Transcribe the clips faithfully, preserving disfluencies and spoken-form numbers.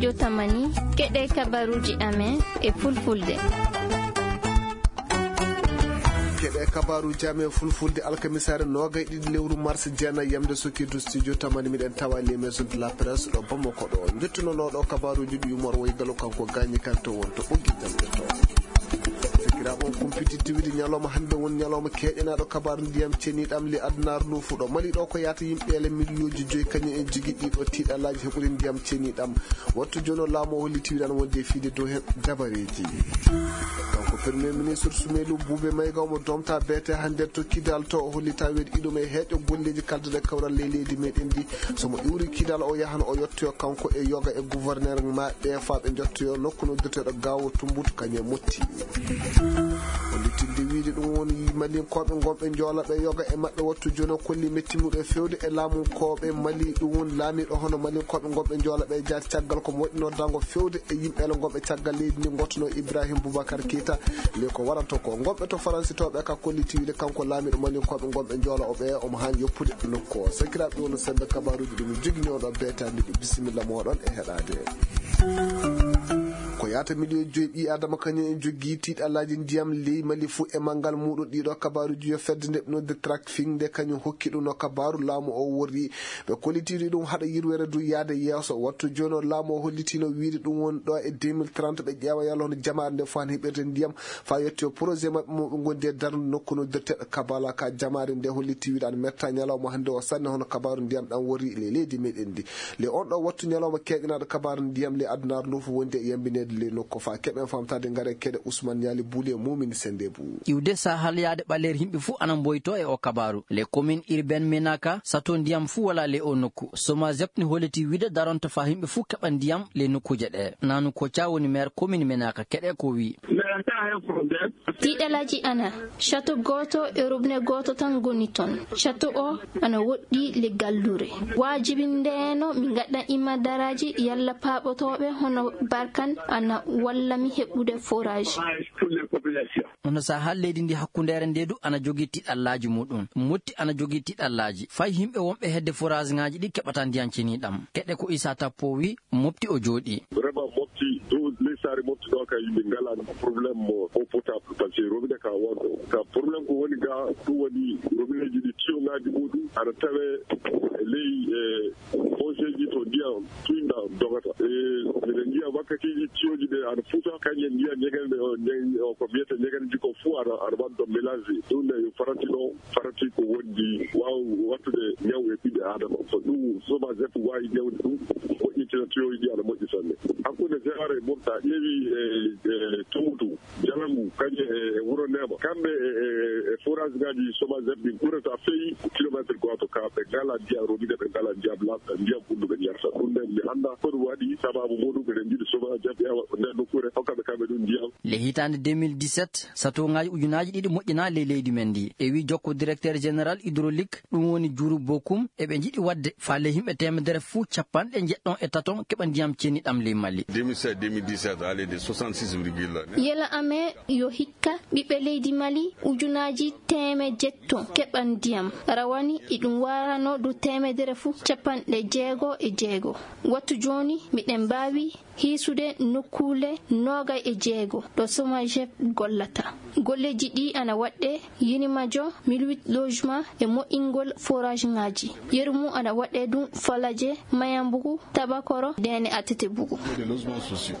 Yo tamani, keɗe kabaruuji amen e fulfulde. Keɗe kabaruuji amen fulfulde alkamisaare noogay ɗiɗi lewru mars jeenayi yamde sokirdu studio tamani miɗen tawa les maisons de la presse ɗo Bamako ɗo. Njettunonoo ɗo kabaruuji ɗi Umar Woy Galo kanko gaañi kan to won to ɓoggi jamɗe to. Sakiraaɓe on kumpititti wiide ñalawma hannde woni ñalawma keeƴanaaɗo kabaaru ndiyam ceniiɗam le adunaaru ndu fuɗo. Mali ɗo ko yaata yimɓe ele miliyonji joyi kañum en jigi ɗiɗo tiiɗalaaji heɓude ndiyam ceniiɗam. Wattu jono laamu o holliti wiɗan wonde e fiide dow hen dabareeji. Kanko premier ministre Sumelu Bube Mayga omo domta beete hannde to Kidal to o hollita weɗi iɗum e heeƴo golleeji kalduɗe kawral ley leydi meɗen ndi. Somo iwri Kidal o yahan o yettoyo kanko e yoga e gouverneur maɓɓe faa ɓe njottoyo nokku noddirteeɗo Gaawo Tumbutu kañum e Motti. Hollitirde wiide ɗum woni malinkooɓe ngonɓe njoola ɓe yoga e maɓɓe wattu jono kolli mettimuɗo e fewde e laamunkooɓe Mali ɗum woni laamiiɗo hono malinkooɓe ngonɓe njoola ɓe jaati caggal ko moƴƴinoo dango fewde e yimɓe ele ngonɓe caggal leydi ndi ngottuno Ibrahim Boubacar Keita. Le ko waranto ko ngonɓe to Faransi to ɓe ka kolliti wiide kanko laamiiɗo malinkooɓe ngonɓe njoola o ɓe omo haani yoppude nokku o. Sakiraaɓe woni sembe kabaruuji ɗum joginoo ɗo beetaande ɗi bisimilla mooɗon e heɗaade. Ko yaata miliyon joyi ɓii adama kañum en jogii tiiɗalaaji ndiyam ley Mali fuu e manngal muuɗum ɗiɗo kabaruuji yo fedde nde ɓe noddi Trackfin nde kañum hokki ɗum no kabaru laamu o worri. Ɓe kollitiri ɗum haɗa yirwere du yaade yeeso. Wattu jono laamu o hollitino wiide ɗum woni ɗo e deux mille trente ɓe ƴeewa yalla hono jamaare nde fo han heɓirde ndiyam faa yetti o projet maɓɓe mo ɓe ngondi e darnude nokku noddirteeɗo Kabala ka jamaare nde hollitti wiide ana metta ñalawma hannde o sanne hono kabaru ndiyam ɗam worri le leydi meɗen ndi. Le on ɗo wattu ñalawma keeƴanaaɗo kabaaru ndiyam le adunaaru ndu fof wondi e yambineede le nokku faa keɓen famtaade ngare keɗe Ousmane Ñaali Buuli e Mumini Sendebou. Iwde sahalyaade ɓaleer yimɓe fof ana mboyto e o kabaaru. Le commune urbaine Menaka sato ndiyam fof wala le o nokku. Somazep ne holliti wiide daronta faa yimɓe fof keɓa ndiyam le nokkuuje ɗe. Nanu Koca woni maire commune Menaka keɗe ko wi. Tiiɗalaaji ana, château gooto e robinet gooto tan ngoni toon. Château o ana woɗɗi le gallure. Waajibindeeno mi ngaɗa imma daraaji yalla paaɓotooɓe hono Barkan ana walla mi heɓude forage. Hono saha leydi ndi hakkundeere nde du ana jogii tiiɗallaaji muɗum. Motti ana jogii tiiɗallaaji. Fay yimɓe wonɓe hedde forage ŋaaji ɗi keɓata ndiyan ceniɗam. Keɗe ko Issa Tappo wi, Mopti o jooɗi. Vraiment, Mopti, dow ley saare Mopti ɗo ka yimɓe ngala problème mo eau potable, parce que robinet ka wonɗo. Ka problème ko woni ga, ɗum woni robinet ji ɗi tiyo ngaji muɗum, ana tawe ley, e, foseji to ndiyam tuyɗam dogata. E, miɗen njiya wakkatiji tiyoji ɗe ana futa, kañum en njiya ñegere nde o, ñe-, o ko mbiyete ñegereji ko fuu ana, ana waddo mélange. Ɗum ne yo farati ɗo. Farati ko wondi waaw wattude ñaw e ɓiɓɓe Aadama. So ɗum Somazep waawi ñawde ɗum, moƴƴintina tiyoji ɗi ana moƴƴi sanne. Hakkunde Zewar e Mopti, a ƴeewi e, e Tumutu, Jalangu, kañum e, e Wuro Neema. Kamɓe e, e, e forage ngaji Somazep ɗin ɓurata feyi ko kilometre gooto ka ɓe ngala ndiyam robinet, ɓe ngala ndiyam laaɓɗam, ndiyam ɓulɗo ɓe njarata. Ɗum nden mi annda ko ɗum waɗi, sababu muɗum eɗen njiɗi Somazep ƴeewa ko nden nokkure, hokka ɓe kamɓe ɗum ndiyam. Le hitaande deux mille dix-sept, satoŋaaji ujunaaji ɗiɗi moƴƴinaa ley leydi men ndi. E wi jokko directeur général hydraulique, ɗum woni Juru Bokum, eɓe njiɗi waɗde faale yimɓe teemedere fuu capanɗe njeɗɗon e taton keɓa ndiyam ceniɗam ley Mali. Deux mille sept, deux mille dix-sept, allez de soixante-six virgule. Yela amen yo hikka ɓiɓɓe leydi Mali ujunaaji teemeɗɗe jeetto keɓa ndiyam. Rawani iɗum warano du teemedere fuu capanɗe jeego e jeego. Wattu jooni miɗen mbaawi hiisude nokkuule noogay e jeego ɗo Somagep gollata. Golleeji ɗi ana waɗɗe Yinimajo, mille huit logement e moƴƴingol forage ŋaaji. Yeru mum ana waɗɗe ɗum Falaje, Mayambugu, Tabakoro, Dene Atete Bugu.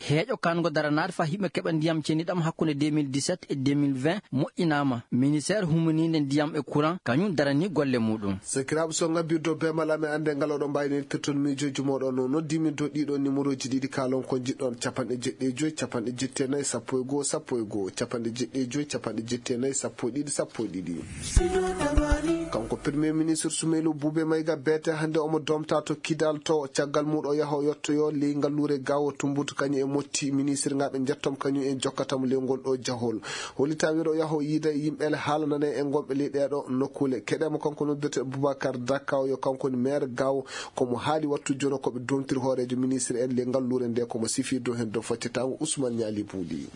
Heeƴo kango daranaade faa yimɓe keɓa ndiyam ceniɗam hakkunde deux mille dix-sept e deux mille vingt moƴƴinaama. Ministère humaniinde ndiyam e courant kañum daranii golle muɗum. Sakiraaɓe, so ngabbirɗo beemal amen annde ngal oɗon mbaawi noddirde toon miijooji mooɗon no noddimin to ɗiɗo numéroji ɗiɗi kaalon ko njiɗɗon, capanɗe jeɗɗi e joy, capanɗe jeɗɗi e nayi, sappo e goo, sappo e goo, capanɗe jeɗɗi e joy, capanɗe jeɗɗi e nayi, sappo e ɗiɗi, sappo e ɗiɗi. Kanko Premier Ministre Soumeylo Boubé Maïga beete hannde omo domta to Kidal to caggal muɗo yaha o yottoyo ley ngalluure Gaawo Tumbutu kañum e Motti ministre ngaɓe njettom kañum en jokkatamo ley ngol ɗo jahol. Hollita wiɗo yaho yiida yimɓe ele haalanane e ngonɓe ley ɗeɗo nokkule. Keɗemo kanko noddirte Boubacar Dakao yo kanko woni maire Gaawo. Komo haali wattu jono koɓe domtiri hoorejo ministre en ley ngalluure nde komo sifi dow hen dow faccatango Ousmane Niali Bouli.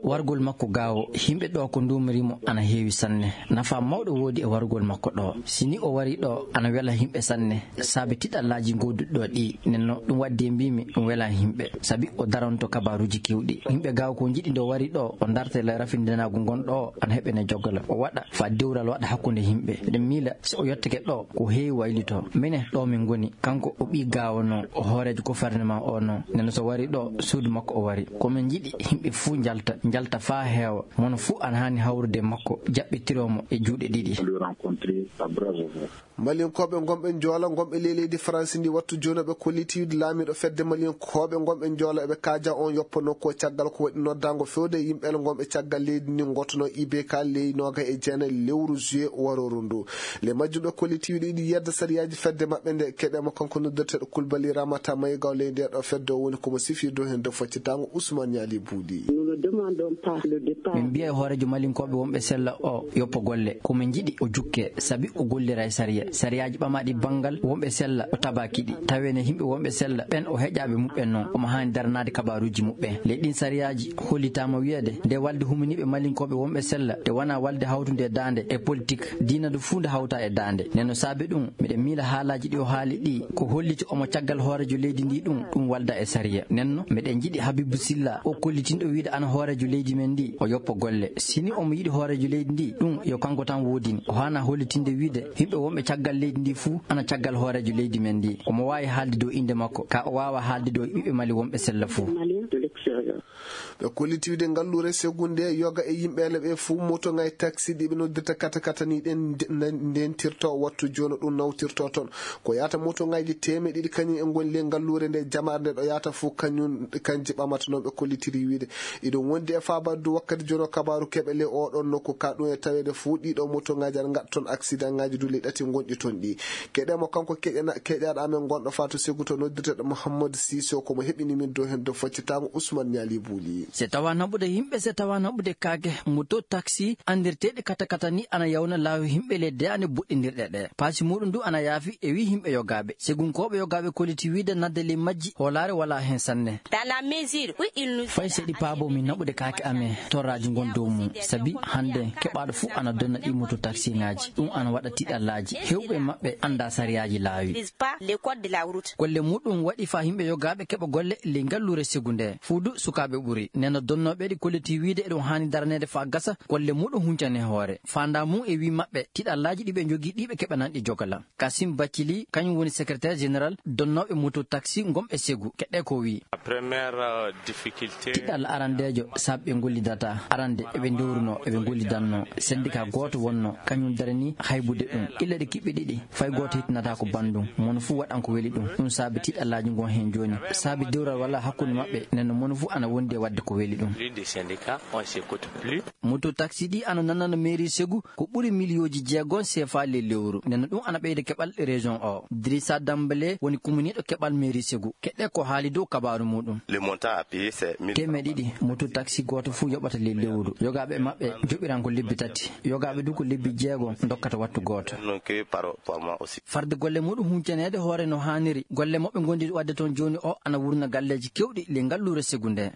Wargol makko Gaawo, yimɓe ɗo ko nduumirimo ana heewi sanne. Nafa mawɗo Woodi e warugol makko ɗo. Si ni o wari ɗo, ana wela yimɓe sanne. Saabe tiɗallaaji gooduɗi ɗo ɗi, nden no ɗum waddi e mbiimi ɗum wela yimɓe. Sabi o daranto kabaaruuji keewɗi. Yimɓe gaaw ko njiɗi nde o wari ɗo, o darta e ley rafindanaagu ngon ɗo, ana heɓene jogola. O waɗa faa dewral waɗa hakkunde yimɓe. Eɗen miila si o yottake ɗo, ko heewi waylito. Minen ɗo min ngoni, kanko o ɓii gaawo no, o hooreejo gouvernement o no. Nden so wari ɗo, suudu makko o wari. Ko min njiɗi yimɓe fuu njalta, njalta faa heewa. Mono fuu ana haani hawrude e makko, jaɓɓitiroo mo e juuɗe ɗiɗi. Malinkooɓe ngonɓe Njoola, ngonɓe ley leydi Faransi ndi, wattu jooni ɓe kolliti wiide laamiiɗo fedde Malinkooɓe ngonɓe Njoola eɓe kaaja on yoppanoo ko caggal ko waɗi noddaango fewde e yimɓe ngonɓe caggal leydi ndi ngottonoo I B K ley noogayi e jeenayi lewru juillet warooru ndu. Ley majjum ɓe kolliti wiide iɗi yedda sariyaaji fedde maɓɓe nde keɓe mo kanko noddirteeɗo Kulbali Ramata Maygaw ley ndee ɗo fedde o woni ko mo sifirde heen dow faccitaango Ousmane Ñaali Buuɗi. Nous ne demandons pas le départ. Min mbiya e hooreejo Malinkooɓe wonɓe sella o yoppa golle. Ko min njiɗi o jukke, sabi o gollira e sariya. Sariyaaji ɓamaaɗi banngal wonɓe sella o tabaaki ɗi. Tawene yimɓe wonɓe sella ɓen o heƴaaɓe muɓɓen noon. Omo haani daranaade kabaaruuji muɓɓen. Ley ɗin sariyaaji hollitaama wiyeede nde walde huminiiɓe Malinkooɓe wonɓe sella, nde wonaa walde hawtunde e daande e politik, diina ndu fuu nde hawta e daande. Nden no saabe ɗum, miɗen miila haalaaji ɗi o haali ɗi, ko holliti omo caggal hooreejo leydi ndi ɗum, ɗum walda e sariya. Nden no, miɗen njiɗi Habibu Silla, o kollitinɗo wiide ana hooreejo leydi men ndi, o yoppa golle. Si ni omo yiɗi hooreejo leydi ndi, ɗum yo kanko tan woodin. O haana hollitinde wiide, yimɓe wonɓe caggal leydi ndi fuu, ana caggal hooreejo leydi men ndi. Omo waawi haalde dow innde makko, ka o waawa haalde dow ɓiɓɓe Mali wonɓe sella fuu. Ɓe kolliti wiide ngalluure Segu nde yoga e yimɓeele ɓe fuu motoŋaaji taxi ɗi ɓe noddirta kata kata ni ɗen nde-, nde-, ndentirto wattu jooni ɗum nawtirto toon. Ko yaata motoŋaaji teemeɗe ɗiɗi kañum e ngoni ley ngalluure nde jamaare nde ɗo yaata fuu kañum, kanji ɓamata noon ɓe kollitiri wiide. Iɗum wondi e faabaade du wakkati jooni o kabaaru keɓe ley oɗon nokku ka ɗum e taweede fuu ɗiɗo motoŋaaji aɗa ngaɗa toon accident ŋaaji du ley ɗati ngonɗi toon ɗi. Keɗe mo kanko keƴana-, keƴaɗo amen gonɗo Fatou Segu to noddirteɗo Mouhamadou Cissé ko mo heɓini min dow heen dow faccitaango Ousmane Ñaali Buuli. Se tawa naɓude yimɓe, se tawa naɓude kaake, moto taxi anndirteeɗe kata kata ni ana yawna laawi yimɓe ley daande boɗɗindirɗe ɗe. Paasi muɗum du ana yaafi e wi yimɓe yogaaɓe. Segunkooɓe yogaaɓe kolliti wiide nadde ley majji hoolaare wala heen sanne. Dans la mesure où il nous Fay seɗi paabo min naɓude kaake amen torraaji ngon dow mum. Sabi hannde keɓaaɗo fuu ana donna ɗi moto taxi ŋaaji. Ɗum ana waɗa tiɗallaaji. Heewɓe maɓɓe annda sariyaaji laawi. Maîtrise pas les codes de la route. Golle muɗum waɗi faa yimɓe yogaaɓe keɓa golle ley ngalluure Segu nde. Fuu du sukaaɓe ɓuri. Nena donnooɓe ɗi kolliti wiide eɗum haani daraneede faa gasa golle muɗum huncane hoore. Faandaa mum e wi maɓɓe tiɗallaaji ɗi ɓe njogii ɗi ɓe keɓananɗi jogola. Kasim Bacili, kañum woni secrétaire général donnooɓe moto taxi ngonɓe Segu. Keɗɗe ko wi. La première, euh, difficulté. Tiɗal arandeejo saabe ɓe ngollidata. Arande eɓe ndewruno, eɓe ngollidanno. Syndicat gooto wonno, kañum darani haybude ɗum. Illa ɗe kiɓɓe ɗiɗi, fay gooto hittinata ko banndum. Mono fuu waɗan ko weli ɗum. Ɗum saabi tiɗallaaji ngon heen jooni. Saabi dewral wala hakkunde maɓɓe, nden no mono fuu ana wondi e waɗde ko weli ɗum. L'une des syndicats, on s'écoute plus. Moto taxi ɗi ana nanana mairie Segu ko ɓuri miliyooji jeegom C F A ley lewru. Nden no ɗum ana ɓeyda keɓal région o. Drissa Dambale woni kuminiiɗo keɓal mairie Segu. Keɗɗe ko haali dow kabaaru muɗum. Le montant à payer, c'est mille francs. Teemeɗe ɗiɗi moto taxi gooto fuu yoɓata ley lewru. Yogaaɓe maɓɓe joɓiran ko lebbi tati. Yogaaɓe du ko lebbi jeegom ndokkata wattu gooto. Donc, par, par mois aussi. Farde golle muɗum huncaneede hoore no haaniri. Golle moɓe ngondi waɗde toon jooni o ana wurna galleeji kewɗi ley ngalluure Segu nde.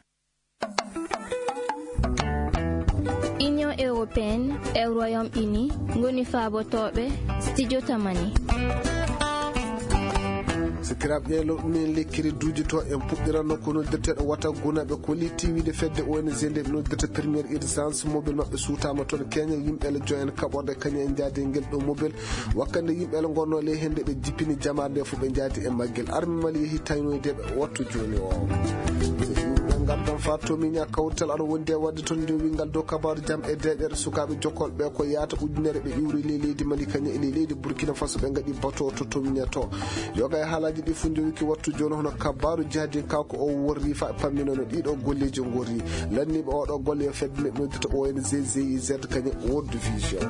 Union européenne e Royaume-Uni ngoni faabotooɓe studio Tamani. Sikiraaɓe, ɗeelo ɗum en lekkiri duujotoo en puɗɗiranno ko noddirteeɗo wata guna ɓe kolliti wiide fedde O N G nde ɓe noddirta première urgence mobile maɓɓe suutaama toon Kenya, yimɓe le joen kaɓorde kañum e njaade ngel ɗo mobile. Wakkande yimɓe le ngonno le hende ɓe jippini jamaare nde fof ɓe njaadi e maggel. Arme Mali yehi taynoyde ɓe wattu jooni o. Ɓe ngardan fa tomiña kawtal aɗa wondi e wadde toon nde wingal dow kabaaru jam e deeƴere sukaaɓe jokkol ɓe ko yaata ujunere ɓe iwri ley leydi Mali kañum e ley leydi Burkina Faso ɓe ngaɗi bato to tomiña to. Yoga e haalaaji ɗi fof njowiki wattu jooni hono kabaaru jahdi kanko o worri fa pamminono ɗiɗo golleeji ngorri. Lanniiɓe oɗo golle yo fedde nde noddita O N G G I Z kañum World Vision.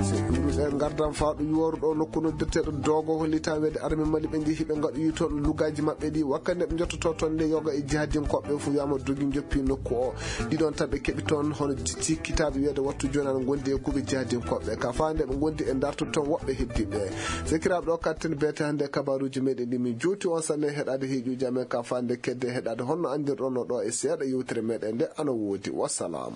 So iwruɗe ngardan fawɗo yuworuɗo nokku noddirteeɗo Dogo hollita weede arme Mali ɓe njehi ɓe ngaɗoyi toon lugaaji maɓɓe ɗi wakkande ɓe njottoto toon nde yoga e jihadinkoɓe fof wiyama dogi joppi nokku o. Ɗiɗon tan ɓe keɓi toon hono cikkitaɓe weede wattu jooni ana gondi e kuuɓe jihadinkoɓe ka fawande ɓe gondi e dartude toon woɓɓe heddiɓe. Sekiraɓe ɗo katten beete hannde kabaruji meɗen ɗi min jowti on sanne heɗade heeƴuji amen ka fawande kedde heɗade honno andirɗon no ɗo e seeɗa yewtere meɗen nde ana woodi. Wassalam.